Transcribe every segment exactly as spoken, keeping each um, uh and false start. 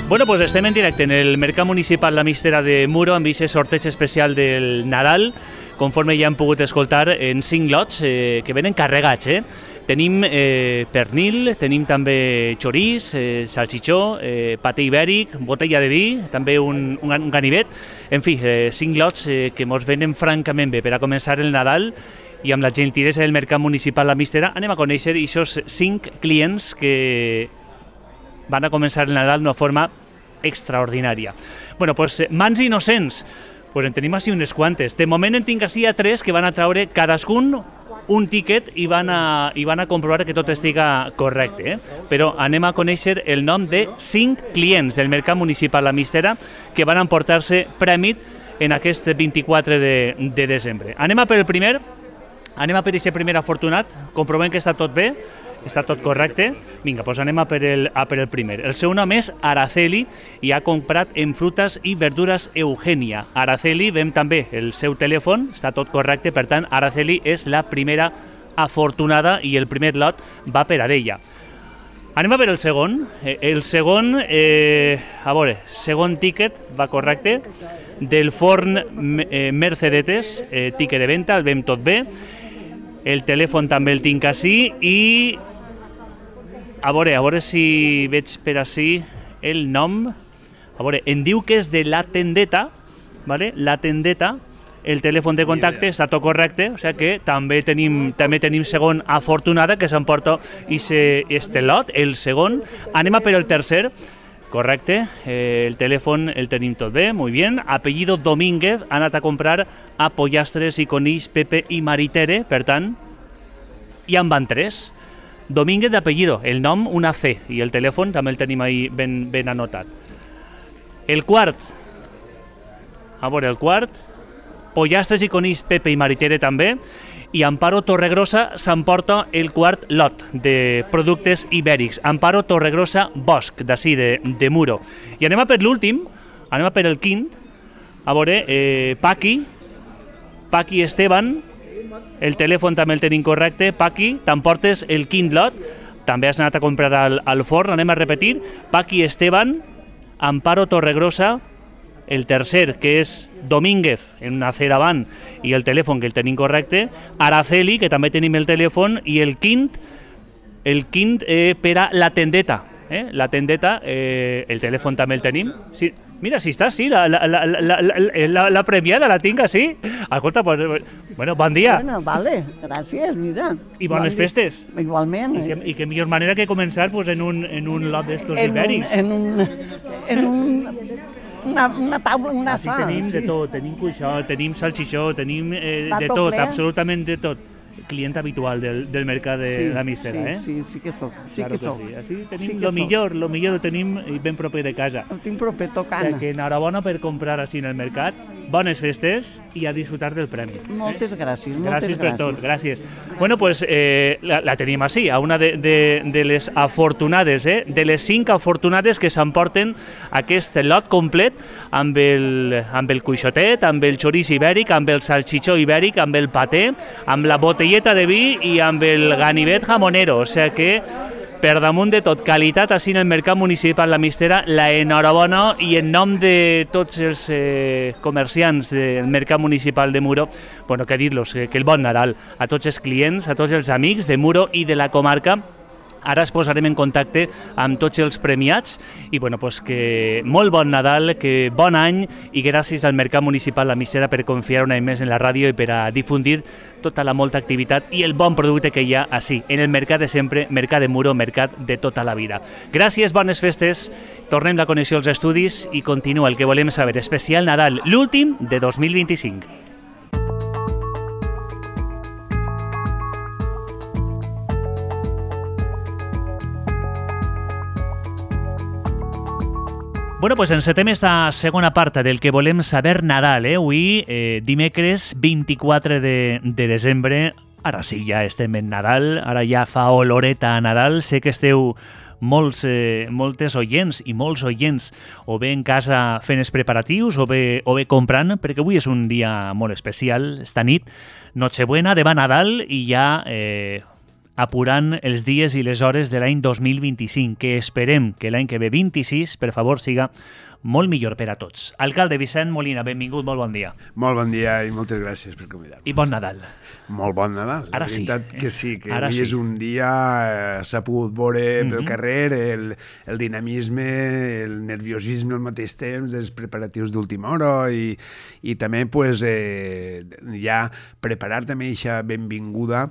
Bueno, pues estem en directe en el Mercat Municipal La Mistera de Muro amb aquest sorteig especial del Nadal, conforme ja hem pogut escoltar en cinc lots eh, que venen carregats. Eh? Tenim eh, pernil, tenim també xorís, eh, salchichó, eh, paté ibèric, botella de vi, també un, un, un ganivet. En fi, eh, cinc lots eh, que mos venen francament bé per a començar el Nadal, i amb la gentilesa del Mercat Municipal La Mistera anem a conèixer aquests cinc clients que van a començar el Nadal d'una forma extraordinària. Bueno, pues mans innocents, pues en tenim així unes quantes. De moment en tinc així a tres que van a traure cadascun un tiquet i van a, i van a comprovar que tot estiga correcte. Eh? Però anem a conèixer el nom de cinc clients del Mercat Municipal La Mistera que van emportar-se prèmit en aquest vint-i-quatre de, de desembre. Anem a per el primer, anem a per aquest primer afortunat, comprovem que està tot bé, està tot correcte. Vinga, doncs anem a per, el, a per el primer. El seu nom és Araceli i ha comprat en frutas i verdures Eugenia. Araceli, vem també el seu telèfon, està tot correcte, per tant, Araceli és la primera afortunada i el primer lot va per a ella. Anem a per el segon. El segon, eh, a veure, segon tíquet, va correcte, del forn eh, Mercedetes, eh, tíquet de venda, el vem tot bé. El telèfon també el tinc així i a veure, a veure si veig per així el nom. A veure, em diu que és de La Tendeta, ¿vale? La Tendeta, el telèfon de contacte està tot correcte, o sigui que també tenim, també tenim segon afortunada que s'emporta este lot, el segon. Anem a per el tercer. Correcte, eh, el telèfon el tenim tot bé, molt bé. Apellido Domínguez, ha anat a comprar a pollastres i conills Pepe i Maritere, per tant, ja en van tres. Domínguez d'apellido, el nom una C, i el telèfon també el tenim ahí ben, ben anotat. El quart, a veure, el quart, pollastres i conills Pepe i Maritere també, i Amparo Torregrosa s'emporta el quart lot de productes ibèrics. Amparo Torregrosa Bosch, d'ací, de, de Muro. I anem a per l'últim, anem a per el quint, a veure, eh, Paqui, Paqui Esteban, el telèfon també el tenim correcte. Paqui, t'emportes el quint lot, també has anat a comprar al, al forn, anem a repetir, Paqui Esteban, Amparo Torregrosa, el tercer, que és Domínguez, en una C davant, i el telèfon, que el tenim correcte, Araceli, que també tenim el telèfon, i el quint, el quint eh, per a La Tendeta. Eh? La Tendeta, eh, el telèfon també el tenim. Sí, mira, si està, sí, la, la, la, la, la, la, la premiada la tinc, sí. Escolta, pues, bueno, bon dia. Bueno, vale, gràcies, mira. I bones bon festes. Igualment. I que, i que millor manera que començar pues, en, un, en un lot d'estos ibèrics. En un... En un Una, una taula, una Així fa. Tenim de tot, tenim cuixó, tenim salchichó, tenim eh, de tot, ple. Absolutament de tot. Client habitual del, del mercat de sí, La Mistera, sí, eh? Sí, sí que soc, sí claro que soc. Sí. Així tenim sí lo millor, lo millor ho tenim ben proper de casa. Ho tinc proper tocant. O sigui que enhorabona per comprar així en el mercat, bones festes i a disfrutar del premi. Moltes gràcies, moltes gràcies. Gràcies per tot, gràcies. Bueno, pues eh, la, la tenim així, a una de, de, de les afortunades, eh? De les cinc afortunades que s'emporten aquest lot complet amb el, amb el cuixotet, amb el xorís ibèric, amb el salchichó ibèric, amb el paté, amb la botelleta de vi i amb el ganivet jamonero. O sigui que, per damunt de tot, qualitat així en el Mercat Municipal La Mistera, la enhorabona, i en nom de tots els eh, comerciants del Mercat Municipal de Muro, bueno, que dir-los, que, que el bon Nadal a tots els clients, a tots els amics de Muro i de la comarca. Ara es posarem en contacte amb tots els premiats i bueno, pues que molt bon Nadal, que bon any i gràcies al Mercat Municipal La Mistera per confiar un any més en la ràdio i per a difundir tota la molta activitat i el bon producte que hi ha així, en el mercat de sempre, mercat de Muro, mercat de tota la vida. Gràcies, bones festes, tornem la connexió als estudis i continua el que volem saber, especial Nadal, l'últim de dos mil vint-i-cinc. Bueno, pues encetem esta segona part del que volem saber Nadal, eh? Avui, eh, dimecres vint-i-quatre de, de desembre, ara sí, ja estem en Nadal, ara ja fa oloreta a Nadal, sé que esteu molts, eh, moltes oients i molts oients o bé en casa fent els preparatius o bé, o bé comprant, perquè avui és un dia molt especial, esta nit, Nochebuena, demà Nadal i ja... Eh, apurant els dies i les hores de l'any dos mil vint-i-cinc, que esperem que l'any que ve vint-i-sis, per favor, siga molt millor per a tots. Alcalde Vicent Molina, benvingut, molt bon dia. Molt bon dia i moltes gràcies per convidar-me. I bon Nadal. Molt bon Nadal. Ara la sí. veritat que sí, que Ara avui sí. és un dia, eh, s'ha pogut veure pel Mhm. carrer el, el dinamisme, el nerviosisme al mateix temps dels preparatius d'última hora i, i també pues, eh, ja preparar també aquesta benvinguda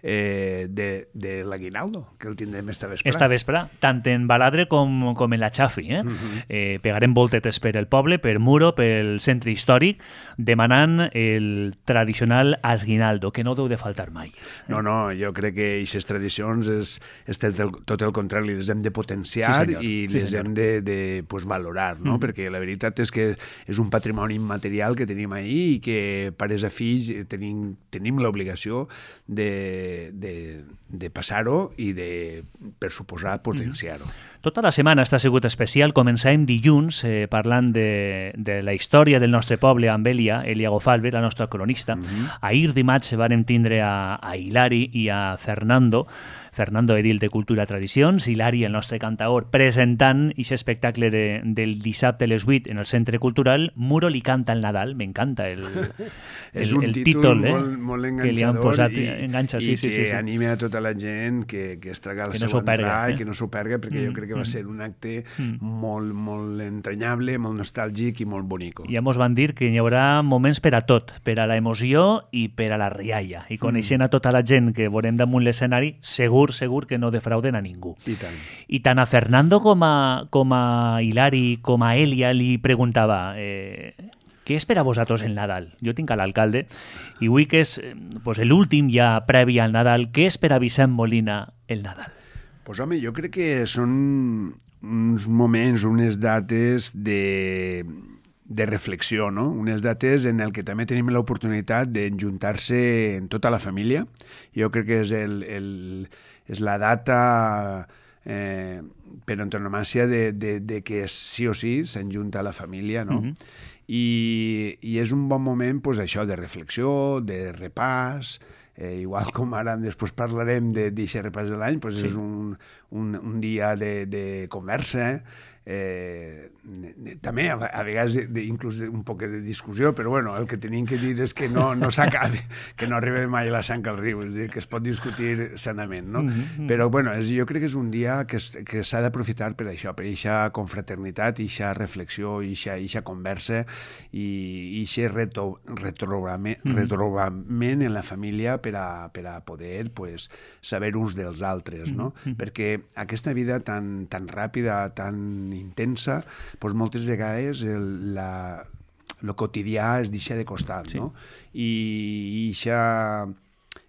eh, de, de l'Aguinaldo, que el tindrem esta vesprà. Esta vespre, tant en Baladre com, com en la Xafi. Eh? Mhm. Eh, pegarem voltetes per el poble, per Muro, pel centre històric, demanant el tradicional Asguinaldo, que no deu de faltar mai. No, no, jo crec que aquestes tradicions és, és tot, el, tot el contrari, les hem de potenciar Sí, senyor. i Sí, les senyor. hem de, de pues, valorar, no? Mm. Perquè la veritat és que és un patrimoni immaterial que tenim ahir i que pares a fills tenim, tenim l'obligació de, de, de passar-ho i de, per suposar, potenciar-ho. Tota la setmana està sigut especial. Començàvem dilluns eh, parlant de, de la història del nostre poble amb Elia, Elia Gofalve, la nostra cronista. Mhm. Ahir dimarts vàrem tindre a, a Hilari i a Fernando, Fernando Edil de Cultura Tradicions, Hilari, el nostre cantaor, presentant aquest espectacle de, del dissabte a les vuit en el Centre Cultural. Muro li canta el Nadal, m'encanta el, el, És un el títol, títol eh, molt, molt que li han enganxador posat, i, enganxa, sí, i sí, que sí, sí. anima a tota la gent que, que es traga la Que no seva s'ho perga, entrada eh? i que no s'ho perga, perquè Mm, jo crec que va mm. ser un acte Mm. molt, molt entranyable, molt nostàlgic i molt bonic. Ja mos van dir que hi haurà moments per a tot, per a la emoció i per a la rialla. I coneixent a tota la gent que veurem damunt l'escenari, segur, segur que no defrauden a ningú. I tant. I tant a Fernando com a, com a Hilari, com a Elia, li preguntava eh, què és per a vosaltres el Nadal? Jo tinc a l'alcalde i avui que és eh, pues, l'últim ja previ al Nadal, què és per a Vicent Molina el Nadal? Pues home, jo crec que són uns moments, unes dates de, de reflexió, no? Unes dates en el que també tenim l'oportunitat d'enjuntar-se en tota la família. Jo crec que és, el, el, és la data eh, per antonomàsia de, de, de que sí o sí s'enjunta la família, no? Mhm. I, i és un bon moment, pues, això, de reflexió, de repàs, eh, igual com ara després parlarem d'aquest repàs de l'any, pues Sí. és un, un, un dia de, de conversa, eh, també a, a vegades de, de, inclús de, un poc de discussió, però bueno, el que tenim que dir és que no, no s'acabi, que no arribi mai la sang al riu, és a dir, que es pot discutir sanament, no? Mhm. Però bueno, és, jo crec que és un dia que, es, que s'ha d'aprofitar per això, per eixa confraternitat, eixa reflexió, eixa, eixa conversa i eixe reto, retrobament, Mhm. retrobament en la família per a, per a poder pues, saber uns dels altres, no? Mhm. Perquè aquesta vida tan, tan ràpida, tan intensa, doncs moltes vegades el, la, lo quotidià es deixa de costat, Sí. no? I eixa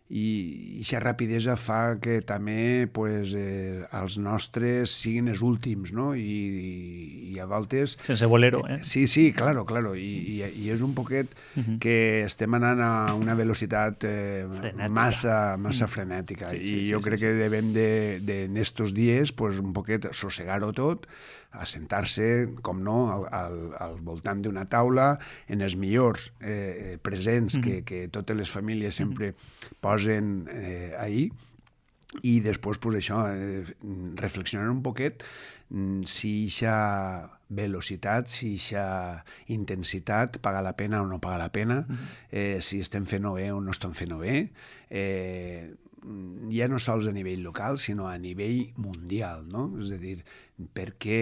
i eixa rapidesa fa que també pues, eh, els nostres siguin els últims, no? I, i a voltes... Sense bolero, eh? Sí, sí, claro, claro. I, i, i és un poquet Mhm. que estem anant a una velocitat eh, Frenètica. massa, massa frenètica. Sí, sí, I sí, jo sí, crec sí. que devem de, de, en estos dies pues, un poquet sossegar-ho tot, assentar-se, com no, al, al, al voltant d'una taula, en els millors eh, presents que, que totes les famílies sempre posen eh, ahir, i després, pues, això, eh, reflexionar un poquet mm, si eixa velocitat, si eixa intensitat paga la pena o no paga la pena, eh, si estem fent-ho bé o no estem fent-ho bé, eh, ja no sols a nivell local, sinó a nivell mundial, no? És a dir, per què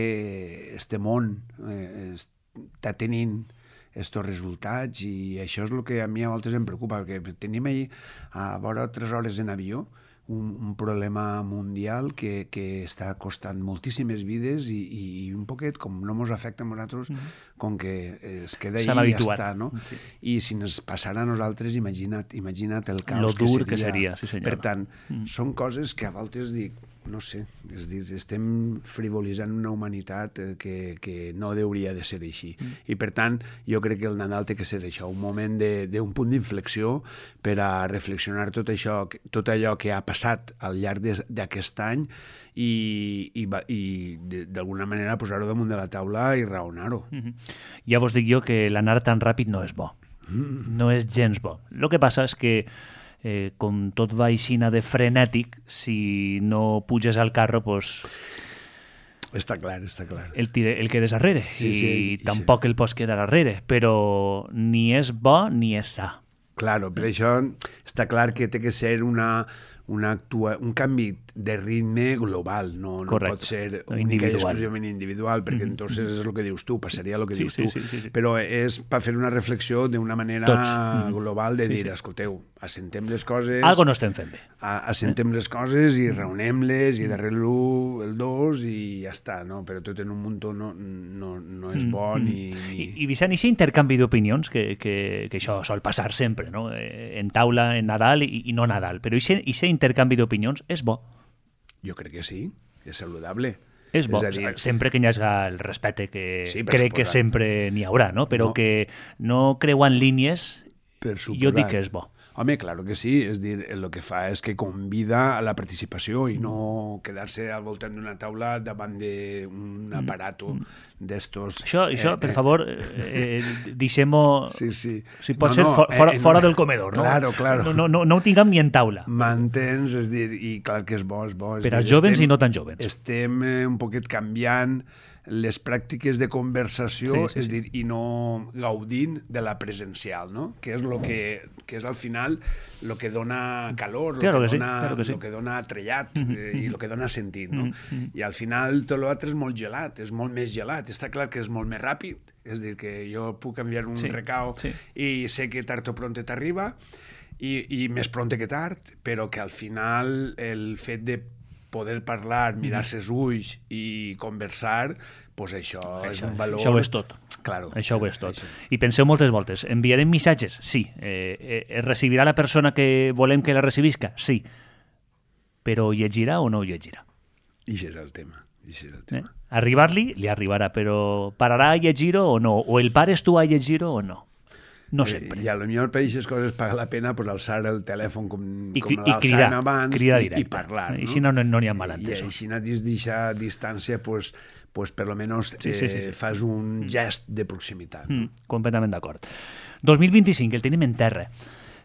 este món eh, està tenint estos resultats, i això és el que a mi a voltes em preocupa, perquè tenim ahir a vora tres hores en avió un, un problema mundial que, que està costant moltíssimes vides i, i un poquet, com no ens afecta a nosaltres, mm-hmm. com que es queda ahí i ja està, no? Sí. I si ens passara a nosaltres, imagina't, imagina't el caos Lo dur que seria. que seria, sí senyor. Per tant, Mm. són coses que a voltes dic, no sé, és dir, estem frivolitzant una humanitat eh, que, que no hauria de ser així. Mm. I per tant, jo crec que el Nadal té que ser això, un moment d'un punt d'inflexió per a reflexionar tot això, tot allò que ha passat al llarg d'aquest any i, i, va- i d'alguna manera posar-ho damunt de la taula i raonar-ho. Mhm. Ja vos dic jo que l'anar tan ràpid no és bo. No és gens bo. El que passa és que eh, com tot va aixina de frenètic, si no puges al carro, pues, està clar, està clar. el, tire, el quedes darrere, sí, i sí, tampoc sí. el pots quedar darrere, però ni és bo ni és sa. Claro, per això està clar que té que ser una, una actua, un canvi de ritme global, no, no pot ser única i exclusivament individual, perquè mm-hmm. entonces és el que dius tu, passaria el que sí, dius sí, tu, sí, sí, sí. però és per fer una reflexió d'una manera Tots. global de sí, dir, sí. escolteu, assentem les coses... Algo no estem fent bé. Assentem les coses i reunem-les i darrere l'u, el dos i ja està, no? Però tot en un muntó no, no, no és bo mm-hmm. ni... ni... I, i Vicent, aquest intercanvi d'opinions, que, que, que això sol passar sempre, no? En taula, en Nadal i, i no Nadal, però aquest intercanvi d'opinions és bo. Jo crec que sí, és saludable. És bo, és dir... sempre que hi hagi el respecte que sí, crec que sempre n'hi haurà, no? Però no. que no creuant línies, jo dic que és bo. Home, claro que sí, és dir, el que fa és que convida a la participació i no quedar-se al voltant d'una taula davant d'un aparato d'estos... Això, això eh, per favor, eh, deixem-ho... Sí, sí. Si pot no, ser no, fora, eh, fora no, del comedor, no? Claro, claro. No, no, no, no ho tinguem ni en taula. M'entens? És dir, i clar que és bo, és bo. És per dir, als jovens estem, i no tan jovens. Estem eh, un poquet canviant les pràctiques de conversació, sí, sí, és dir, sí. i no gaudint de la presencial, no? Que és lo que, que és al final el que dona calor, claro el que, que dona, sí, claro que sí. lo que dona trellat eh, i el que dona sentit, no? Mm-hmm. I al final tot l'altre és molt gelat, és molt més gelat, està clar que és molt més ràpid, és dir, que jo puc enviar un sí, recau sí. i sé que tard o pronte t'arriba, i, i més pronte que tard, però que al final el fet de poder parlar, mirar-se els ulls i conversar, pues això, això és un valor... Això ho és tot. Claro, això ho és tot. Això. I penseu moltes voltes, enviarem missatges? Sí. Eh, eh, recibirà la persona que volem que la recibisca? Sí. Però llegirà o no llegirà? I això és el tema. És el tema. Eh? Arribar-li, li arribarà, però pararà a llegir-ho o no? O el pares tu a llegir-ho o no? No sempre. I a lo millor per aquestes coses paga la pena pues, alçar el telèfon com, I, com l'alçàvem abans cridar i, directe. i parlar. No? I així no n'hi no, no ha malentès. I així dins d'aquesta distància pues, pues, per lo menos sí, sí, sí, sí. Eh, fas un gest de proximitat. No? Mm, completament d'acord. dos mil vint-i-cinc, el tenim en terra.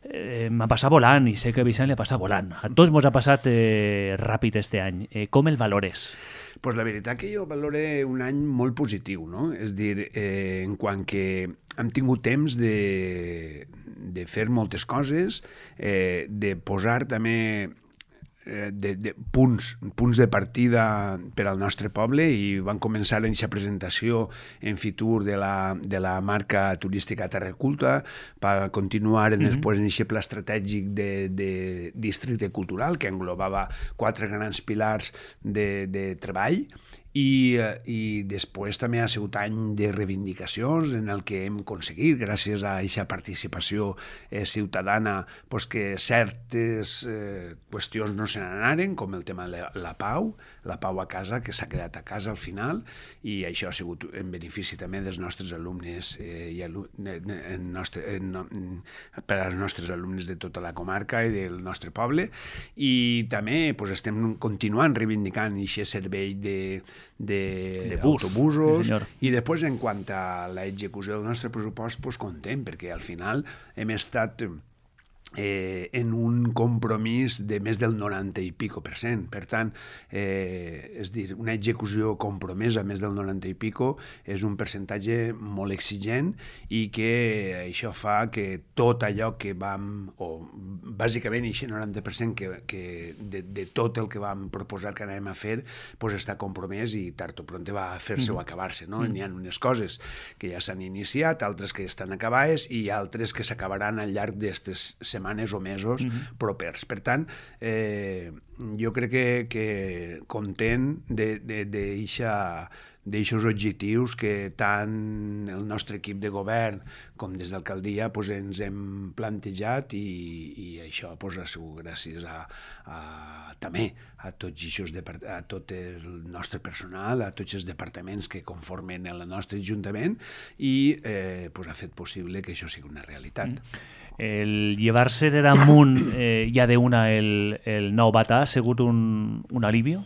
Eh, m'ha passat volant i sé que a Vicent li ha passat volant. A tots mos ha passat eh, ràpid este any. Eh, com el valores? Pues la veritat que jo valore un any molt positiu, no? És dir, eh, en quant que hem tingut temps de, de fer moltes coses, eh, de posar també de, de punts, punts de partida per al nostre poble i van començar en aquesta presentació en Fitur de la, de la marca turística Terra Culta, per continuar en, mm-hmm. després en aquest pla estratègic de, de districte cultural que englobava quatre grans pilars de, de treball. I, i després també ha sigut any de reivindicacions en el que hem aconseguit, gràcies a aquesta participació eh, ciutadana, pues que certes eh, qüestions no se n'anaren, com el tema de la, la pau, la pau a casa, que s'ha quedat a casa al final, i això ha sigut en benefici també dels nostres alumnes eh, i alu en nostre, en, per als nostres alumnes de tota la comarca i del nostre poble, i també pues, estem continuant reivindicant aquest servei de d'autobusos, sí, i després en quant a l'execució del nostre pressupost, pues, contem, perquè al final hem estat eh, en un compromís de més del noranta i pico per cent. Per tant, eh, és dir, una execució compromesa més del noranta i pico és un percentatge molt exigent i que això fa que tot allò que vam, o bàsicament aquest noranta per cent que, que de, de tot el que vam proposar que anàvem a fer, pues està compromès i tard o pronte va a fer-se mm. o acabar-se. No? Mm. N'hi ha unes coses que ja s'han iniciat, altres que estan acabades i altres que s'acabaran al llarg d'aquestes setmanes o mesos mm-hmm. propers. Per tant, eh, jo crec que, que content d'aixòs objectius que tant el nostre equip de govern com des d'alcaldia pues, ens hem plantejat i, i això pues, ha sigut gràcies a, a, també a tots eixos a tot el nostre personal, a tots els departaments que conformen el nostre ajuntament i eh, pues, ha fet possible que això sigui una realitat. Mm. El llevar-se de damunt eh, ja d'una el, el nou batà ha sigut un, un alivio?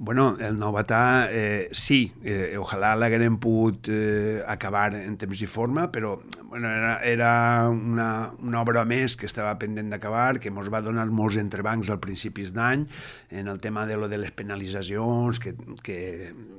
Bueno, el novatà, eh, sí, eh, ojalà l'haguem pogut eh, acabar en temps i forma, però bueno, era, era una, una obra més que estava pendent d'acabar, que ens va donar molts entrebancs al principis d'any, en el tema de lo de les penalitzacions, que, que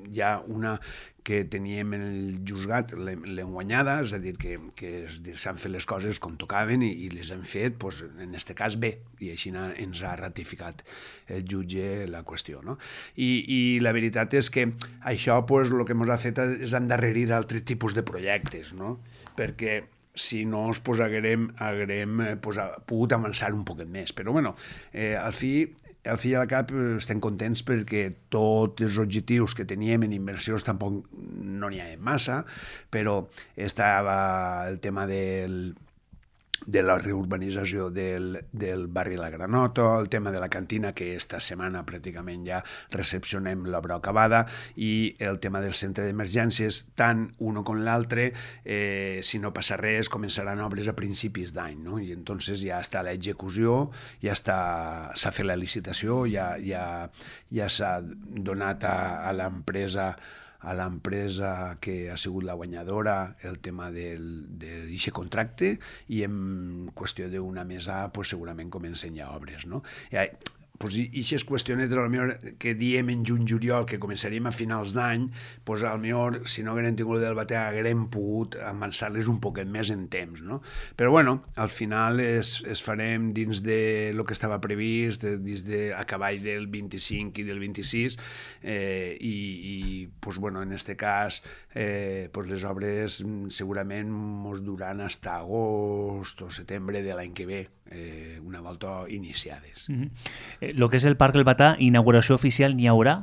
hi ha una que teníem en el juzgat l'hem guanyada, és a dir, que, que s'han fet les coses com tocaven i, i les hem fet, doncs, en aquest cas, bé, i així ens ha ratificat el jutge la qüestió. No? I, I la veritat és que això doncs, el que ens ha fet és endarrerir altres tipus de projectes, no? Perquè si no us pues, haguem, haguem pues, pogut avançar un poquet més. Però, bueno, eh, al fi al fi i al cap estem contents perquè tots els objectius que teníem en inversions tampoc no n'hi ha massa, però estava el tema del de la reurbanització del, del barri La Granota, el tema de la cantina, que esta setmana pràcticament ja recepcionem l'obra acabada, i el tema del centre d'emergències, tant un com l'altre, eh, si no passa res, començaran obres a principis d'any, no? I entonces ja està l'execució, ja està, s'ha fet la licitació, ja, ja, ja s'ha donat a, a l'empresa a l'empresa que ha sigut la guanyadora el tema d'aquest contracte, i en qüestió d'una mesa pues, segurament comencen ja obres. No? I, pues, i aquestes qüestionetes que diem en juny-juliol que començaríem a finals d'any, pues, potser si no haguem tingut del batè haguem pogut avançar-les un poquet més en temps. No? Però bueno, al final es, es farem dins de lo que estava previst, dins de a cavall del vint-i-cinc i del vint-i-sis, eh, i, i pues, bueno, en aquest cas eh, pues, les obres segurament ens duran fins a agost o setembre de l'any que ve, eh, una volta iniciades. Mm-hmm. eh, lo que és el Parc El Batà, inauguració oficial n'hi haurà?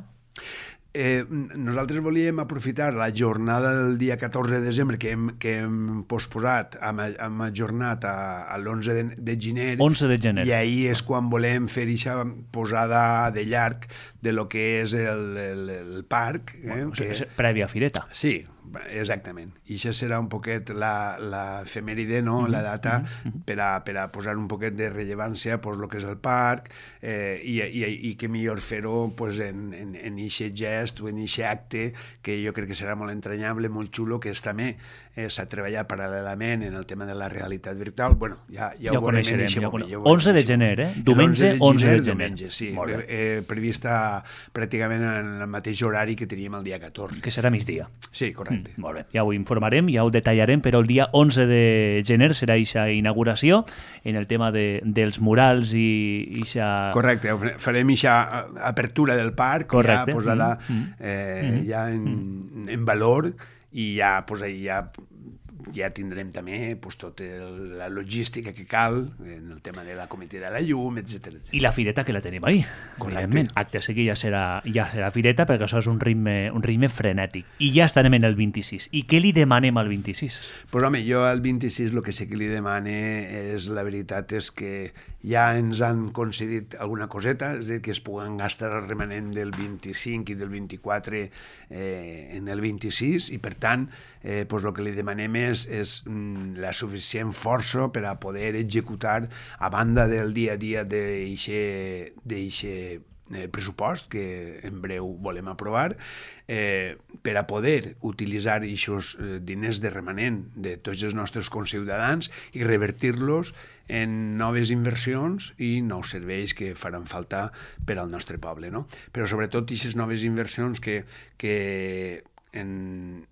Eh, nosaltres volíem aprofitar la jornada del dia catorze de desembre que hem, que hem posposat, hem, hem ajornat a, a l'onze de, de gener, onze de gener, i ahir és quan volem fer aquesta posada de llarg de lo que és el, el, el parc. Eh, bueno, que... és prèvia fireta. Sí, exactament. I això serà un poquet l'efemèride, no? Mm-hmm. La data, mm-hmm. per, a, per a posar un poquet de rellevància pues, el que és el parc, eh, i, i, i que millor fer-ho pues, en en, en aquest gest o en aquest acte que jo crec que serà molt entranyable, molt xulo, que és també eh, s'ha treballat paral·lelament en el tema de la realitat virtual. Bueno, ja, ja, ja ho coneixerem. Ja moment, ja onze de gener, eh? Diumenge, onze de gener. Diumenge, sí. Eh, prevista pràcticament en el mateix horari que teníem el dia catorze. Que serà migdia. Sí, correcte. Mm, molt bé, ja ho informarem, ja ho detallarem, però el dia onze de gener serà aquesta inauguració en el tema de, dels murals i aquesta... Correcte, farem aquesta apertura del parc. Correcte. Ja posada mm, eh, mm, ja en, mm. en valor, i ja, pues, ja ja tindrem també pues, tota la logística que cal en el tema de la comitè de la llum, etcètera. I la fireta que la tenim ahí. Correcte. Acte seguit ja serà, ja serà fireta, perquè això és un ritme, un ritme frenètic. I ja estarem en el vint-i-sis. I què li demanem al vint-i-sis? Pues, home, jo al vint-i-sis el que sí que li demane és, la veritat és que ja ens han concedit alguna coseta, és a dir, que es puguen gastar el remanent del vint-i-cinc i del vint-i-quatre eh, en el vint-i-sis, i per tant, eh, pues, el que li demanem és, és mm, la suficient força per a poder executar, a banda del dia a dia d'eixe Eh, pressupost que en breu volem aprovar, eh, per a poder utilitzar aquests eh, diners de remanent de tots els nostres conciutadans i revertir-los en noves inversions i nous serveis que faran falta per al nostre poble. No? Però sobretot aquestes noves inversions que, que en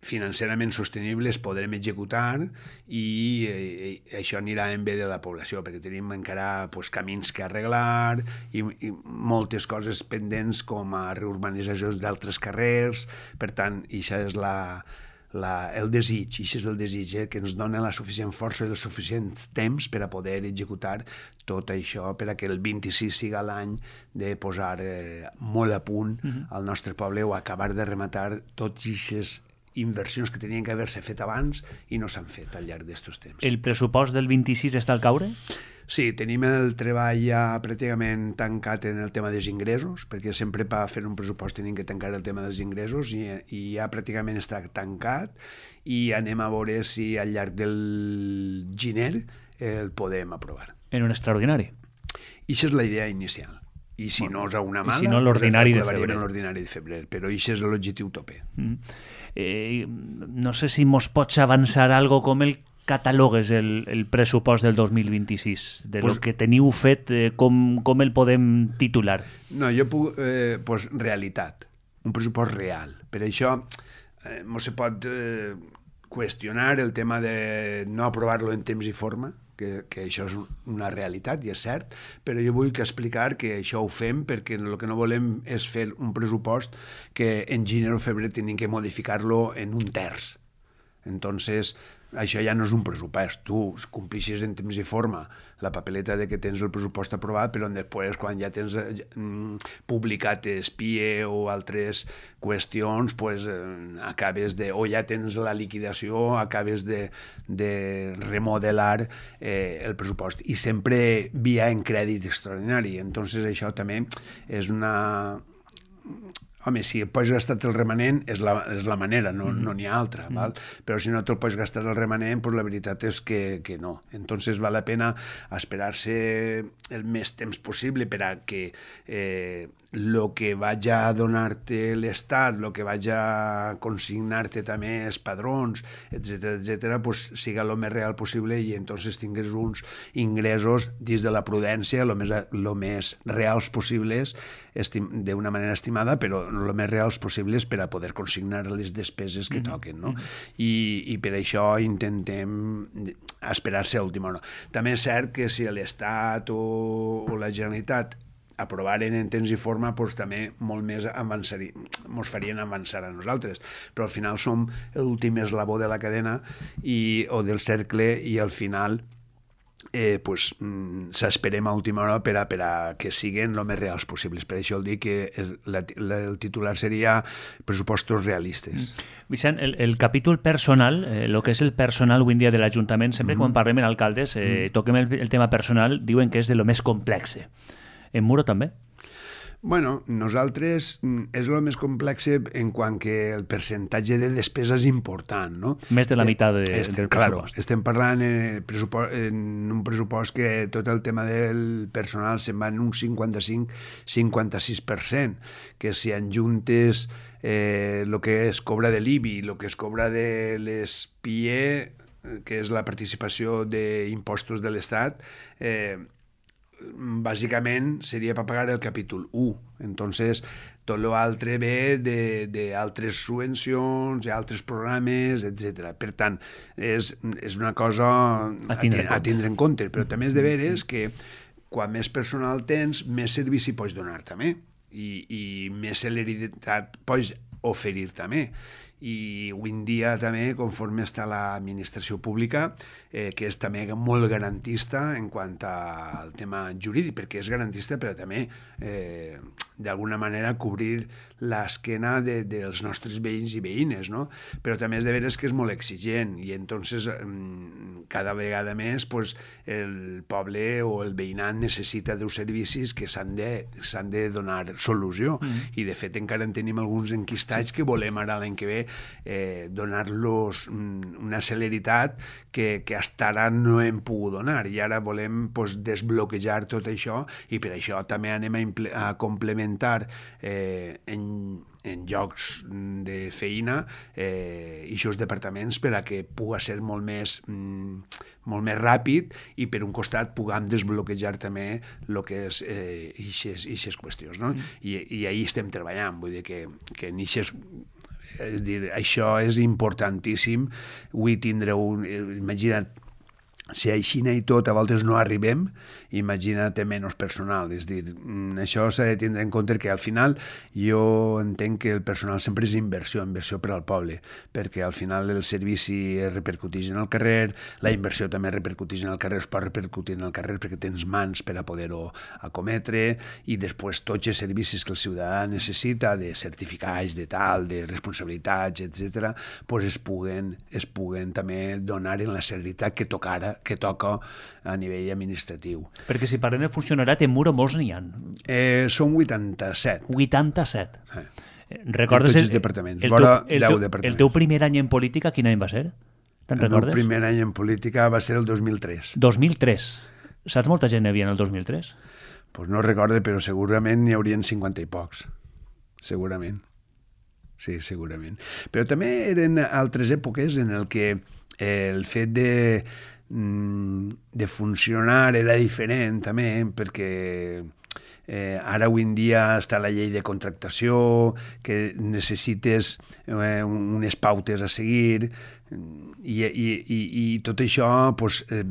financerament sostenibles podrem executar, i eh, això anirà en bé de la població, perquè tenim encara pues, camins que arreglar i, i moltes coses pendents com a reurbanitzacions d'altres carrers. Per tant, això és la, la, el desig, això és el desig eh, que ens dona la suficient força i el suficient temps per a poder executar tot això, per a que el vint-i-sis siga l'any de posar eh, molt a punt uh-huh. al nostre poble, o acabar de rematar tots aquests inversions que tenien que haver-se fet abans i no s'han fet al llarg d'estos temps. El pressupost del vint-i-sis està al caure? Sí, tenim el treball ja pràcticament tancat en el tema dels ingressos, perquè sempre per fer un pressupost tenim que tancar el tema dels ingressos, i, i ja pràcticament està tancat, i anem a veure si al llarg del gener el podem aprovar. En un extraordinari? I això és la idea inicial. i si no és a una mala, I si no l'ordinari de febrer. l'ordinari de febrer, però això és l'objectiu tope. Mm. Eh, no sé si mos pots avançar algo com el catalogues el, el pressupost del dos mil vint-i-sis, de pues, lo que teniu fet, eh, com, com el podem titular? No, jo puc... Eh, pues, realitat, un pressupost real. Per això eh, no se pot eh, qüestionar el tema de no aprovar-lo en temps i forma, que, que això és una realitat i és cert, però jo vull que explicar que això ho fem perquè el que no volem és fer un pressupost que en gener o febrer tenim que modificar-lo en un terç. Entonces, això ja no és un pressupost. Tu complixes en temps i forma la papeleta de que tens el pressupost aprovat, però després, quan ja tens eh, publicat S P I E o altres qüestions, pues, eh, acabes de... o ja tens la liquidació, acabes de, de remodelar eh, el pressupost. I sempre via en crèdit extraordinari. Entonces, això també és una... Home, si el pots gastar el remanent és la, és la manera, no n'hi no ha altra, mm. val? Però si no te'l pots gastar el remanent, pues la veritat és que, que no. Entonces val la pena esperar-se el més temps possible per a que eh, lo que vaig a donar-te l'Estat, lo que vaig a consignar-te també els padrons, etcètera, etcètera, pues siga el més real possible i entonces tingues uns ingressos dins de la prudència el més, lo més reals possibles, d'una manera estimada, però el més reals possibles per a poder consignar les despeses que toquen, no? I, i per això intentem esperar-se a última hora. També és cert que si l'Estat o, o la Generalitat aprovaren en temps i forma, doncs també molt més ens farien avançar a nosaltres. Però al final som l'últim eslabó de la cadena i, o del cercle i al final eh, pues, s'esperem a última hora per a, per a que siguin el més reals possibles. Per això el dic que el, la, el titular seria pressupostos realistes. Vicent, el, el capítol personal, el eh, que és el personal avui en dia de l'Ajuntament, sempre mm-hmm. quan parlem amb alcaldes, eh, mm-hmm. toquem el, el tema personal, diuen que és de lo més complex. En Muro també? Bueno, nosaltres és el més complex en quant que el percentatge de despesa és important, no? Més de la estem, meitat de, estem, del pressupost. Claro, estem parlant en, en un pressupost que tot el tema del personal se'n va en un cinquanta-cinc a cinquanta-sis per cent, que si enjuntes eh, el que es cobra de l'I B I, el que es cobra de l'S P I E, que és la participació d'impostos de l'Estat, eh, bàsicament seria per pagar el capítol u. Entonces, tot l'altre ve d'altres subvencions, altres programes, etcètera. Per tant, és, és una cosa a tindre, a tindre en compte. Però també és de veres que quan més personal tens, més servici pots donar també. I, i més celeritat pots oferir també. I avui en dia també, conforme està l'administració pública, eh, que és també molt garantista en quant al tema jurídic, perquè és garantista però també eh, d'alguna manera cobrir l'esquena de, dels nostres veïns i veïnes, no? Però també és de veres que és molt exigent i entonces cada vegada més pues, el poble o el veïnat necessita d'uns servicis que s'han de, s'han de donar solució mm. i de fet encara en tenim alguns enquistats sí. que volem ara l'any que ve eh, donar-los una celeritat que, que hasta ara no hem pogut donar i ara volem pues, desbloquejar tot això i per això també anem a, imple- a complementar eh, en en llocs de feina eh, i aquests departaments per a que pugui ser molt més, mm, molt més ràpid i per un costat puguem desbloquejar també el que és eh, aquestes qüestions. No? Mm. I, I ahí estem treballant, vull dir que, que en eixes, és dir, això és importantíssim. Avui tindre un... Imagina't, si així i tot a voltes no arribem, imagina't menys personal. És dir, això s'ha de tindre en compte que al final jo entenc que el personal sempre és inversió, inversió per al poble, perquè al final el servici repercuteix en el carrer, la inversió també repercuteix en el carrer, es pot repercutir en el carrer perquè tens mans per a poder-ho acometre i després tots els servicis que el ciutadà necessita de certificats, de tal, de responsabilitats, etcètera, pues es puguen, es puguen també donar en la celeritat que tocara que toca a nivell administratiu. Perquè si parlem de funcionariat, en Muro molts n'hi ha. Eh, són vuitanta-set. vuitanta-set. Eh. Recordes tots els departaments. El, Vora el, deu el, departaments. El teu primer any en política, quin any va ser? Te'n recordes? El primer any en política va ser el dos mil tres. dos mil tres. Saps molta gent hi havia en el dos mil tres? pues no recordo, però segurament n'hi haurien cinquanta i pocs. Segurament. Sí, segurament. Però també eren altres èpoques en el que eh, el fet de, de funcionar era diferent també, perquè eh, ara avui en dia està la llei de contractació, que necessites eh, unes pautes a seguir, i, i, i, i tot això pues, eh,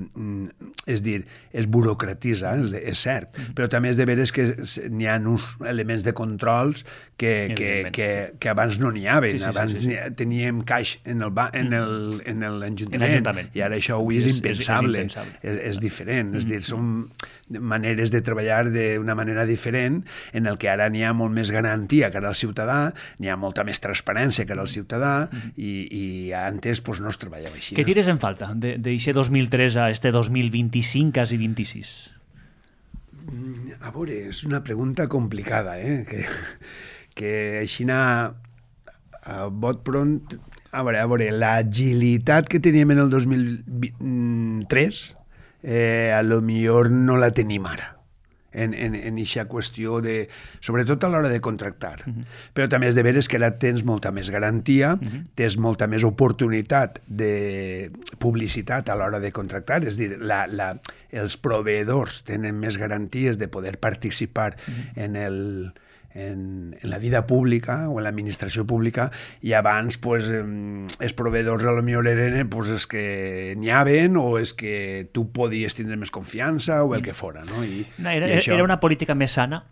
és dir, es burocratitza, és, és cert, però també és de veres que n'hi ha uns elements de controls que, que, que, que abans no n'hi havia. Sí, sí, abans sí, sí, sí. teníem caix en el ba, en el, en l'Ajuntament, i ara això avui és, és impensable, és, és, impensable. és, és diferent, és dir, són maneres de treballar d'una manera diferent, en el que ara n'hi ha molt més garantia que ara el ciutadà, n'hi ha molta més transparència que ara el ciutadà, i, i antes pues, no es treballava així. Què tires en falta d'això dos mil tres a este dos mil vint-i-cinc, quasi vint-i-sis? A veure, és una pregunta complicada, eh? que, que així a, a bot pront... A veure, a veure, l'agilitat que teníem en el dos mil tres eh, a lo millor no la tenim ara. en aquesta qüestió, de, sobretot a l'hora de contractar. Uh -huh. Però també és de veres que ara tens molta més garantia, uh -huh. tens molta més oportunitat de publicitat a l'hora de contractar, és a dir, la, la, els proveïdors tenen més garanties de poder participar uh -huh. en el... En, en la vida pública o en l'administració pública, i abans pues, els proveïdors a lo millor eren pues, els que n'hi haven, o és que tu podies tindre més confiança o el que fora. No? I, no, era, i això... era una política més sana?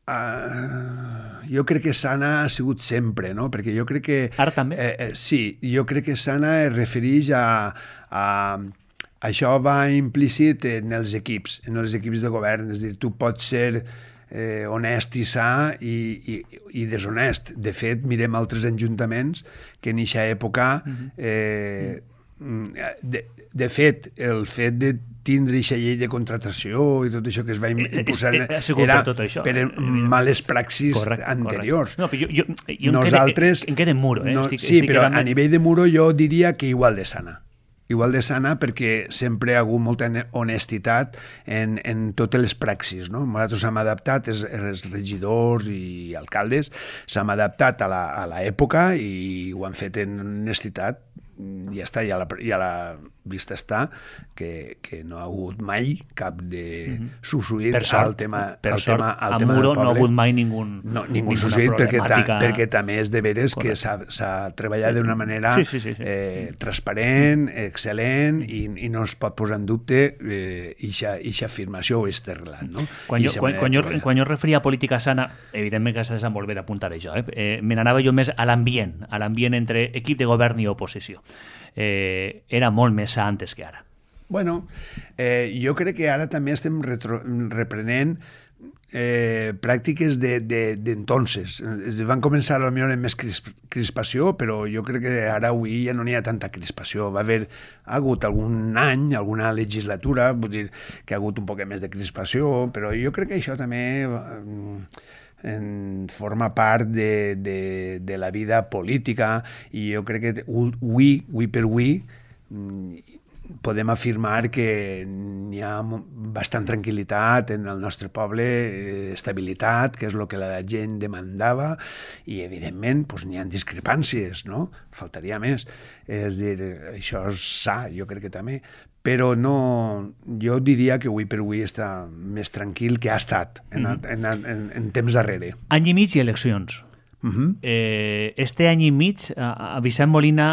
Uh, jo crec que sana ha sigut sempre, no? Perquè jo crec que... Ara també? Eh, eh, sí, jo crec que sana es refereix a... a Això va implícit en els equips, en els equips de govern. És a dir, tu pots ser eh, honest i sa i, i, i deshonest. De fet, mirem altres ajuntaments que en aquesta època... Eh, de, de fet, el fet de tindre aquesta llei de contratació i tot això que es va imposar era per, tot això. per males praxis correcte, anteriors. Correcte. No, jo, jo, jo Nosaltres, em quedé en muro. Eh? No, estic, sí, estic però quedant... a nivell de muro jo diria que igual de sana. Igual de sana, perquè sempre hi ha hagut molta honestitat en, en totes les praxis. No? Nosaltres hem adaptat, els, els regidors i alcaldes, s'hem adaptat a l'època i ho han fet en honestitat. Ja està, ja la, ja la vista està, que, que no ha hagut mai cap de mm-hmm. subsuït al tema, per al sort, tema, al a tema Muro del poble. No ha hagut mai ningú, no, ningú subsuït, perquè, ta, perquè també és de veres que s'ha treballat d'una manera sí, sí, sí, sí. Eh, transparent, excel·lent, i, i no es pot posar en dubte aquesta eh, afirmació o aquest relat. No? Quan, jo, quan, quan, jo, quan jo referia a política sana, evidentment que s'ha de molt bé d'apuntar això, eh? eh, me n'anava jo més a l'ambient, a l'ambient entre equip de govern i oposició. Eh, era molt més sa antes que ara. Bueno, eh, jo crec que ara també estem retro, reprenent eh, pràctiques d'entonces. De, de, van començar a lo millor amb més crispació, però jo crec que ara avui ja no n'hi ha tanta crispació. Va haver ha hagut algun any, alguna legislatura, vull dir que ha hagut un poc més de crispació, però jo crec que això també... Eh, en forma part de, de, de la vida política, i jo crec que avui, avui per avui, podem afirmar que hi ha bastant tranquil·litat en el nostre poble, estabilitat, que és el que la gent demandava, i evidentment doncs, n'hi ha discrepàncies, no? Faltaria més. És dir, això és sa, jo crec que també, però no, jo diria que avui per avui està més tranquil que ha estat en, en, en, en temps darrere. Any i mig i eleccions. Uh-huh. eh, este any i mig a, a Vicent Molina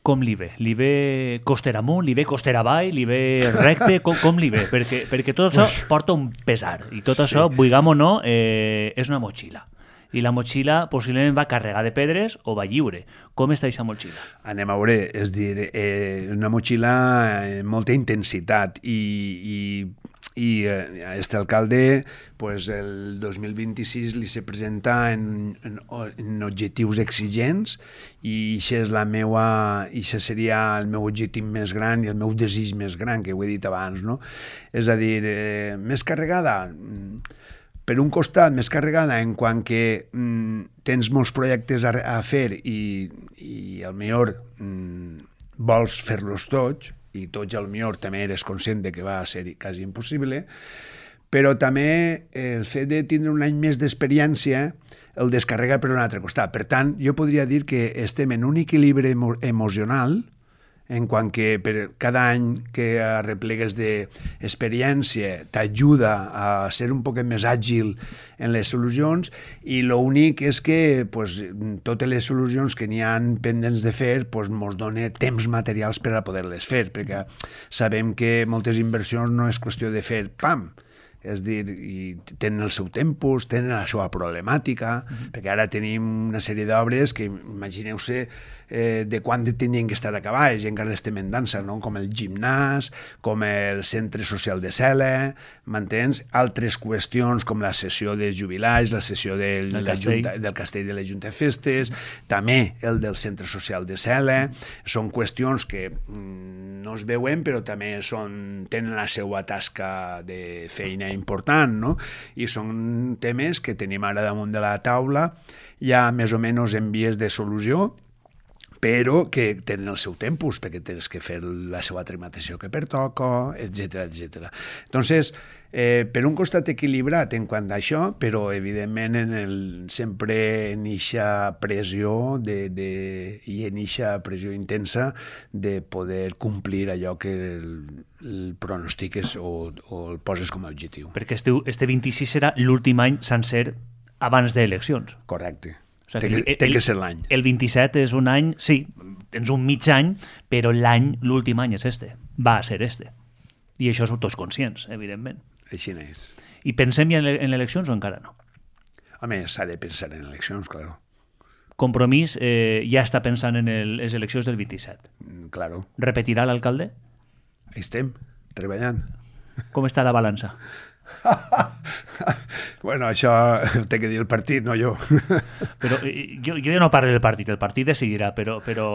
com li ve? Li ve coster amunt, li ve coster avall, li ve recte, com, com li ve? Perquè, perquè tot això pues, porta un pesar, i tot sí. això, vulguem o no, eh, és una motxilla. I la motxilla possiblement va carregar de pedres o va lliure. Com està aquesta motxilla? Anem a veure, és dir, eh, una motxilla amb molta intensitat, i, i, i eh, este alcalde pues, el dos mil vint-i-sis li se presenta en, en, en objectius exigents, i això és la meua, això seria el meu objectiu més gran i el meu desig més gran, que ho he dit abans, no? És a dir, eh, més carregada... Per un costat, més carregada en quant que mm, tens molts projectes a, a fer i, i al millor mm, vols fer-los tots, i tots al millor també eres conscient de que va ser quasi impossible, però també el fet de tindre un any més d'experiència el descarrega per un altre costat. Per tant, jo podria dir que estem en un equilibri emo emocional en quant que per cada any que arreplegues d'experiència t'ajuda a ser un poquet més àgil en les solucions, i l'únic és que pues, totes les solucions que n'hi ha pendents de fer pues, mos dona temps materials per a poder-les fer, perquè sabem que moltes inversions no és qüestió de fer pam, és dir, i tenen el seu tempus, tenen la seva problemàtica, mm-hmm. perquè ara tenim una sèrie d'obres que, imagineu-se, eh, de quan tenien que estar acabades, i encara estem en dansa, no? Com el gimnàs, com el centre social de Cela, m'entens? Altres qüestions com la sessió de jubilats, la sessió del, el la castell. Junta, del castell de la Junta de Festes, també el del centre social de Cela, són qüestions que mm, no es veuen, però també són, tenen la seva tasca de feina important, no? I són temes que tenim ara damunt de la taula, ja més o menys en vies de solució, però que tenen el seu tempus, perquè tens que fer la seva tramitació que pertoca, etcètera, etcètera. Entonces, eh, per un costat equilibrat en quant a això, però evidentment en el, sempre en eixa pressió de, de, i en eixa pressió intensa de poder complir allò que el, el pronostiques o, o el poses com a objectiu. Perquè este, este vint-i-sis serà l'últim any sencer abans d'eleccions. Correcte. O Té sigui, que, el, té que ser l'any. El vint-i-set és un any, sí, tens un mig any, però l'any, l'últim any és este. Va a ser este. I això són tots conscients, evidentment. Així n'és. I pensem ja en, en eleccions o encara no? Home, s'ha de pensar en eleccions, claro. Compromís eh, ja està pensant en el, les eleccions del vint-i-set. Mm, claro. Repetirà l'alcalde? Ahí estem, treballant. Com està la balança? Bueno, això ho té que dir el partit, no jo. Però eh, jo, jo ja no parlo del partit, el partit decidirà, però, però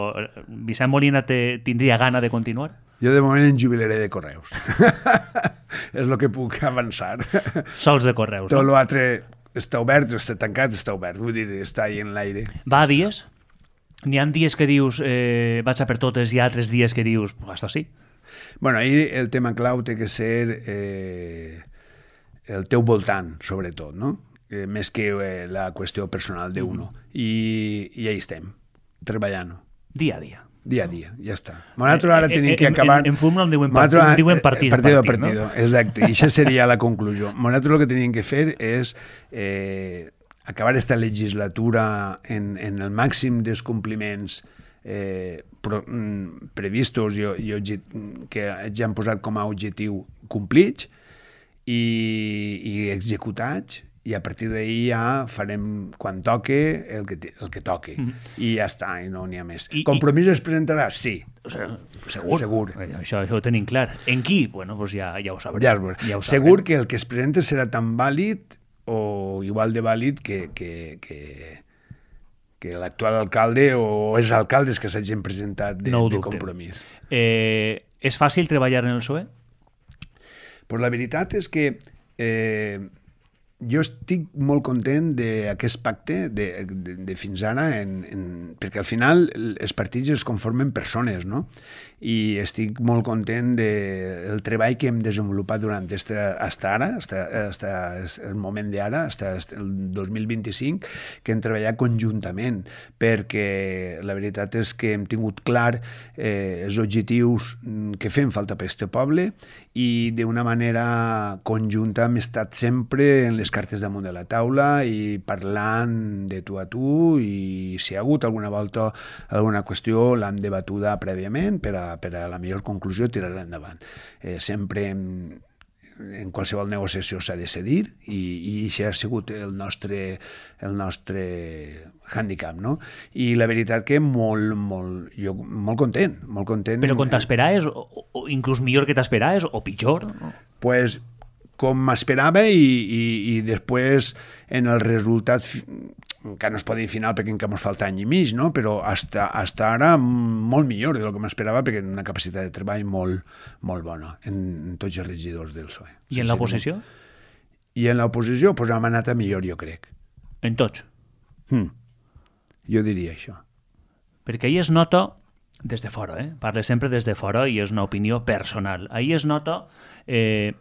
Vicent Molina te, tindria gana de continuar? Jo de moment em jubilaré de Correus. És el que puc avançar. Sols de Correus, Tot no? l'altre està obert, està tancat, està obert. Vull dir, està ahí en l'aire. Va a dies? N'hi ha dies que dius eh, vaig a per totes i altres dies que dius pues hasta sí? Bueno, ahí el tema clau té que ser eh, el teu voltant, sobretot, no? Eh, més que eh, la qüestió personal d'uno. Mm. I, I ahí estem, treballant. Dia a dia. Dia a dia, ja està. Nosaltres ara tenim que acabar... En, en futbol en diuen, part, en diuen partit. Partido a partit, partido, no? exacte. I això seria la conclusió. Nosaltres el que tenim que fer és eh, acabar esta legislatura en, en el màxim dels compliments eh, pro, mm, previstos i, i que ja han posat com a objectiu complits i, i executats, i a partir d'ahir ja farem quan toque el que, el que toque. Mm. I ja està, i no n'hi ha més. I, Compromís i... es presentarà? Sí. O sea, segur. Segur. Això, això ho tenim clar. En qui? Bueno, pues ja, ja ho sabrem. Ja, ja ho segur que el que es presenta serà tan vàlid o igual de vàlid que, que, que, que l'actual alcalde o els alcaldes que s'hagin presentat de, no de Compromís. Eh, és fàcil treballar en el P S O E? Pues la veritat és que eh, jo estic molt content d'aquest pacte de, de, de fins ara, en, en, perquè al final els partits es conformen persones, no? I estic molt content del de treball que hem desenvolupat durant este, hasta ara, hasta, hasta el moment d'ara, hasta el dos mil vint-i-cinc, que hem treballat conjuntament, perquè la veritat és que hem tingut clar eh, els objectius que fem falta per este poble i d'una manera conjunta hem estat sempre en les cartes damunt de la taula i parlant de tu a tu, i si hi ha hagut alguna volta alguna qüestió l'hem debatuda prèviament per a, per a la millor conclusió tirar endavant. Eh, sempre en, en qualsevol negociació s'ha de cedir i, i això ha sigut el nostre, el nostre handicap, no? I la veritat que molt, molt, jo molt content, molt content. Però com t'esperaves, o, o inclús millor que t'esperaves, o pitjor? No? Pues com m'esperava i, i, i després en el resultat, encara no es pot dir final perquè encara ens falta any i mig, no? Però hasta, hasta ara molt millor del que m'esperava, perquè una capacitat de treball molt, molt bona en, en tots els regidors del P S O E. I en l'oposició? I en l'oposició pues, hem anat a millor, jo crec. En tots? Hmm. Jo diria això. Perquè ahir es nota Des de fora, eh? Parle sempre des de fora i és una opinió personal. Ahí es nota eh,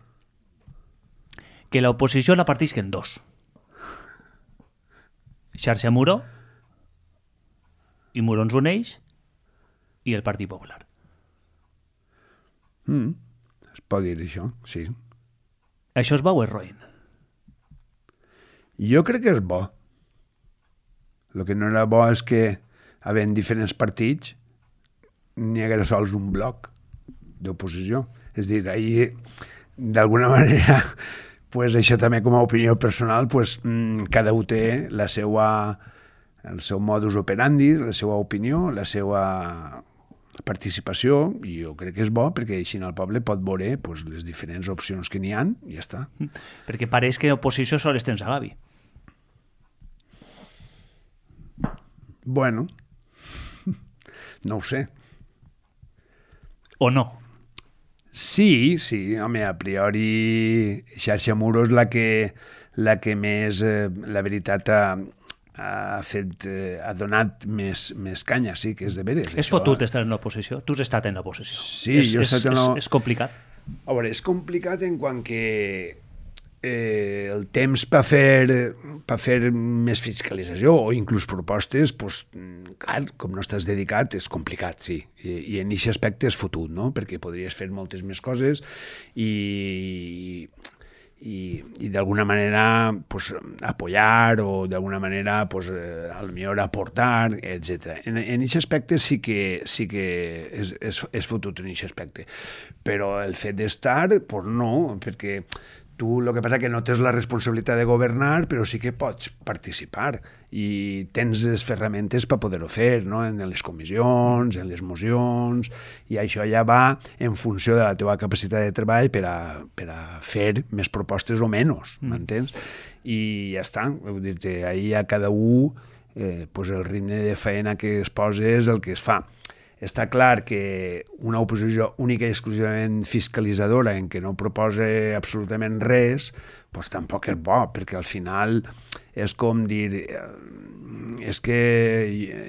que l'oposició la partisc en dos. Xarxa Muro i Muro ens uneix i el Partit Popular. Mm, es pot dir això, sí. Això és bo o és roïn? Jo crec que és bo. El que no era bo és que, havent diferents partits, n'hi haguera sols un bloc d'oposició. És a dir, ahir, d'alguna manera, pues, això també com a opinió personal, pues, cada un té la seva, el seu modus operandi, la seva opinió, la seva participació, i jo crec que és bo, perquè així el poble pot veure pues, les diferents opcions que n'hi ha, i ja està. Perquè pareix que oposició sols tens a Gavi. Bueno, no ho sé. O no? Sí, sí, home, a priori Xarxa Muro és la que, la que més, eh, la veritat, ha, ha fet, eh, ha donat més, més canya, sí, que és de veres. És això. fotut estar en l'oposició? Tu has estat en l'oposició. Sí, és, jo he és, estat en la... És, és complicat. A veure, és complicat en quant que eh, el temps per fer, per fer més fiscalització o inclús propostes, pues, clar, com no estàs dedicat, és complicat, sí. I, i en aquest aspecte és fotut, no? Perquè podries fer moltes més coses i, i, i d'alguna manera pues, apoyar o d'alguna manera pues, eh, a lo millor aportar, etcètera. En aquest aspecte sí que, sí que és, és, és fotut en aquest aspecte. Però el fet d'estar, pues no, perquè tu el que passa que no tens la responsabilitat de governar, però sí que pots participar i tens les ferramentes per poder-ho fer, no? En les comissions, en les mocions, i això ja va en funció de la teva capacitat de treball per a, per a fer més propostes o menys, m'entens? I ja està, vull dir-te, ahir a cada un eh, pues el ritme de feina que es posa és el que es fa. Està clar que una oposició única i exclusivament fiscalitzadora en què no proposa absolutament res, doncs tampoc és bo, perquè al final és com dir és que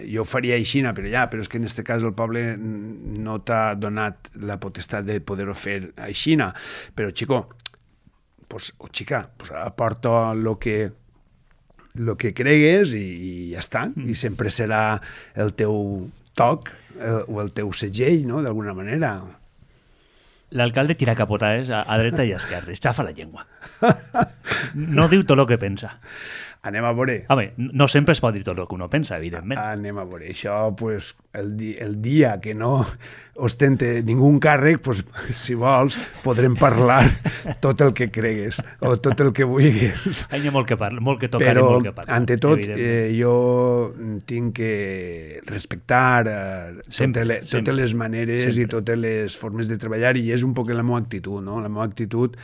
jo ho faria així, però ja, però és que en aquest cas el poble no t'ha donat la potestat de poder-ho fer així, però xico, pues, o xica, pues aporta el que el que cregues i, i ja està, i sempre serà el teu toc el, o el teu segell, no?, d'alguna manera. L'alcalde tira capotades a, a dreta i a esquerra, es xafa la llengua. No diu tot el que pensa. Anem a veure. Home, no sempre es pot dir tot el que uno pensa, evidentment. Anem a veure. Això, pues, el, di el dia que no ostente ningú càrrec, pues, si vols, podrem parlar tot el que cregues o tot el que vulguis. Hi ha molt que parlar, molt que tocar Però, i molt que parlar. ante tot, eh, jo tinc que respectar eh, sempre, totes, les, totes les maneres sempre. I totes les formes de treballar, i és un poc la meva actitud, no? La meva actitud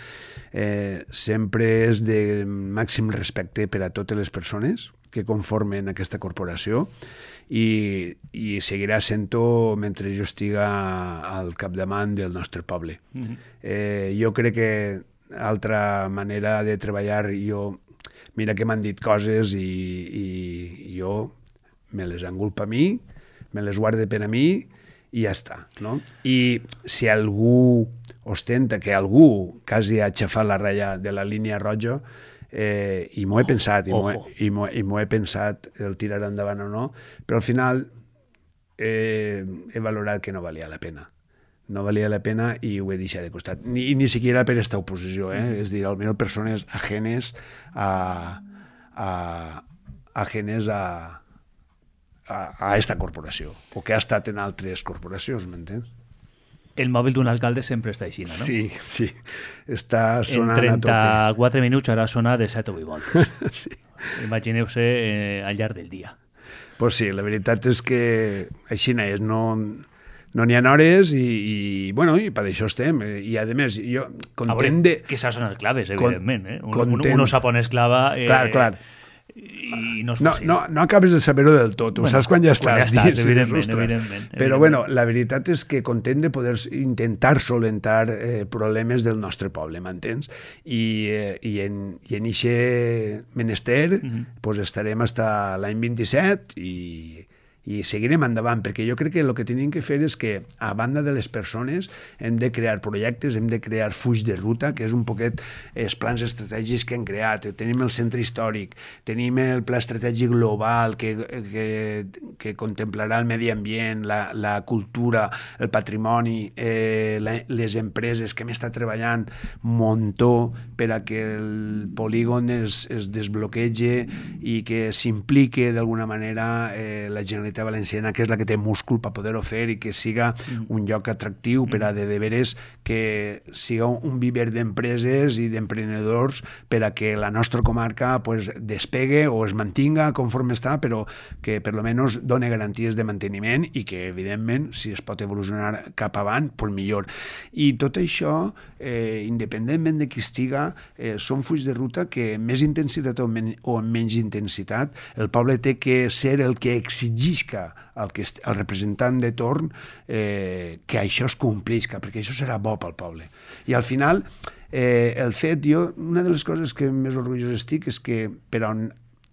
eh, sempre és de màxim respecte per a totes les persones que conformen aquesta corporació, i, i seguirà sent-ho mentre jo estiga al capdavant del nostre poble. Mm-hmm. eh, jo crec que altra manera de treballar, jo, mira que m'han dit coses i, i jo me les engulpa a mi, me les guarde per a mi i ja està, no? I si algú ostenta que algú quasi ha aixafat la ratlla de la línia roja, Eh, i m'ho he pensat, i m'ho he, he pensat el tirar endavant o no, però al final eh, he valorat que no valia la pena. No valia la pena i ho he deixat de costat. Ni, ni siquiera per esta oposició, eh? És dir, almenys persones ajenes a, a, ajenes a, a, a esta corporació, o que ha estat en altres corporacions, m'entens? El mòbil d'un alcalde sempre està així, no? Sí, sí. Està sonant a tope. En trenta-quatre minuts ara sona de set o vuit voltes. Sí. Imagineu-se eh, al llarg del dia. Pues sí, la veritat és que així és, no no n'hi ha hores i, i, bueno, i per això estem. I a més, jo content de... Que s'ha sonat claves, evidentment. Eh? Un, content... uno sap on és clava... Eh, clar, clar. I no és no, fàcil. no, no acabes de saber-ho del tot, ho bueno, saps quan ja estàs, quan ja estàs dins, evidentment, evidentment, però evidentment. bueno, la veritat és que content de poder intentar solentar eh, problemes del nostre poble, m'entens? I, eh, i en i en ixe menester mm -hmm. pues estarem fins l'any vint-i-set i, i seguirem endavant, perquè jo crec que el que tenim que fer és que, a banda de les persones, hem de crear projectes, hem de crear fulls de ruta, que és un poquet els plans estratègics que hem creat. Tenim el centre històric, tenim el pla estratègic global que, que, que contemplarà el medi ambient, la, la cultura, el patrimoni, eh, la, les empreses que hem estat treballant un muntó per a que el polígon es, es desbloquege i que s'implique d'alguna manera eh, la Generalitat Valenciana, que és la que té múscul per poder-ho fer i que siga un lloc atractiu per a de, de veres que siga un viver d'empreses i d'emprenedors per a que la nostra comarca pues, despegue o es mantinga conforme està, però que per lo menos doni garanties de manteniment i que, evidentment, si es pot evolucionar cap avant, pues millor. I tot això, eh, independentment de qui estiga, eh, són fulls de ruta que amb més intensitat o, men o amb menys intensitat, el poble té que ser el que exigeix el, que el representant de torn eh, que això es complisca, perquè això serà bo pel poble. I al final, eh, el fet, jo, una de les coses que més orgullós estic és que per on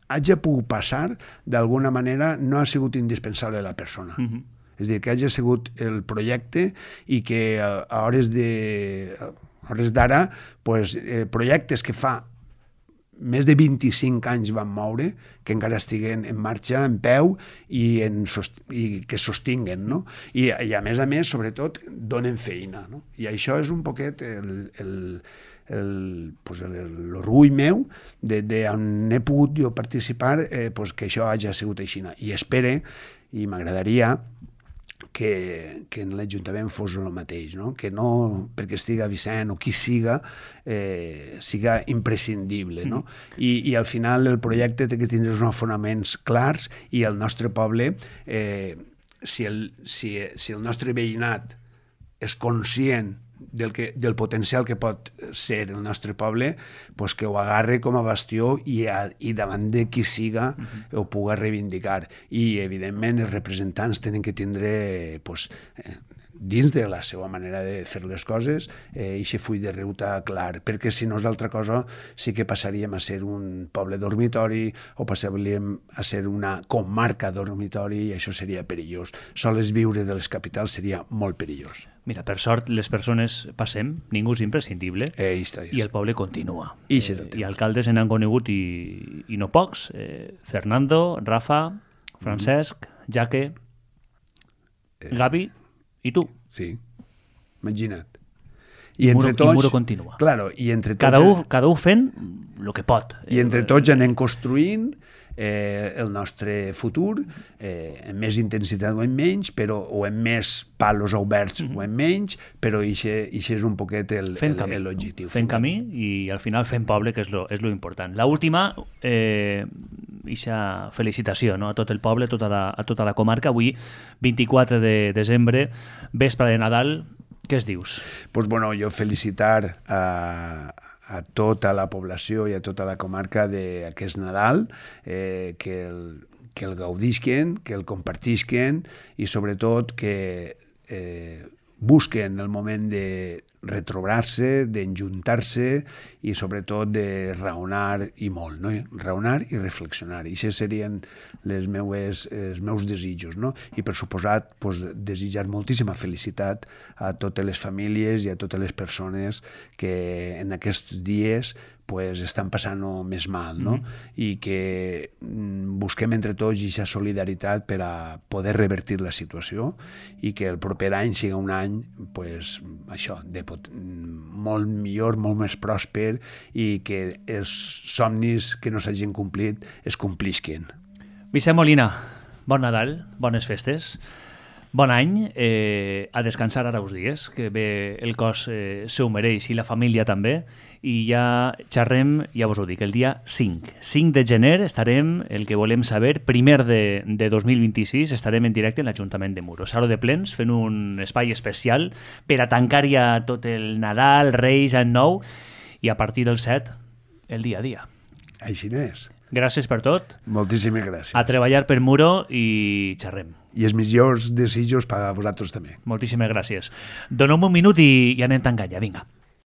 hagi pogut passar, d'alguna manera no ha sigut indispensable la persona. Mm-hmm. És a dir, que hagi sigut el projecte i que a, a hores de a hores d'ara, pues, eh, projectes que fa més de vint-i-cinc anys van moure, que encara estiguen en marxa, en peu, i, en sost i que sostinguen, no? I, I a més a més, sobretot, donen feina, no? I això és un poquet el, el, el, pues l'orgull meu de, de on he pogut jo participar, eh, pues que això hagi sigut així. I espere, i m'agradaria, que, que en l'Ajuntament fos el mateix, no? Que no, perquè estiga Vicent o qui siga, eh, siga imprescindible, no? I, i al final el projecte té que tindre uns fonaments clars i el nostre poble, eh, si, el, si, si el nostre veïnat és conscient del, que, del potencial que pot ser el nostre poble, pues que ho agarre com a bastió i, a, i davant de qui siga uh-huh. ho pugui reivindicar. I, evidentment, els representants tenen que tindre, pues, eh, dins de la seva manera de fer les coses, eh, i aquest full de ruta clar, perquè si no és altra cosa sí que passaríem a ser un poble dormitori o passaríem a ser una comarca dormitori i això seria perillós. Sols viure de les capitals seria molt perillós. Mira, per sort, les persones passem, ningú és imprescindible, eh, i el poble continua. I, eh, i alcaldes se n'han conegut i, i no pocs. Eh, Fernando, Rafa, Francesc, mm. Jaque, eh. Gavi i tu. Sí, imagina't. I, I, entre muro, tots, i muro continua. Claro, i entre tots, cada, un, cada un fent el que pot. I entre tots anem construint eh, el nostre futur, eh, amb més intensitat o en menys, però, o amb més palos oberts mm-hmm. o en menys, però això és un poquet l'objectiu. Fent camí i al final fent poble, que és lo, és lo important. L'última, eh, ixa felicitació, no? A tot el poble, a tota la, a tota la comarca. Avui, vint-i-quatre de desembre, vespre de Nadal, què es dius? Pues bueno, jo felicitar a, a tota la població i a tota la comarca d'aquest Nadal, eh, que, el, que el gaudisquen, que el compartisquen i sobretot que eh, busquen el moment de retrobar-se, d'enjuntar-se i sobretot de raonar i molt, no? Raonar i reflexionar. I aquests serien les meues, els meus desitjos, no? I per suposat, pues, desitjar moltíssima felicitat a totes les famílies i a totes les persones que en aquests dies pues, estan passant-ho més mal, no? Mm-hmm. I que busquem entre tots aquesta solidaritat per a poder revertir la situació i que el proper any sigui un any pues, això, de pot... molt millor, molt més pròsper i que els somnis que no s'hagin complit es complisquen. Vicent Molina, bon Nadal, bones festes. Bon any, eh, a descansar ara uns dies, que bé el cos eh, se ho mereix i la família també, i ja xerrem, ja vos ho dic, el dia cinc. cinc de gener estarem, el que volem saber, primer de, de dos mil vint-i-sis, estarem en directe en l'Ajuntament de Muro. Sala de plens, fent un espai especial per a tancar ja tot el Nadal, Reis, Any Nou, i a partir del set, el dia a dia. Així n'és. Gràcies per tot. Moltíssimes gràcies. A treballar per Muro i xerrem. I els millors desitjos per a vosaltres també. Moltíssimes gràcies. Donem un minut i, i anem tancant ja, vinga.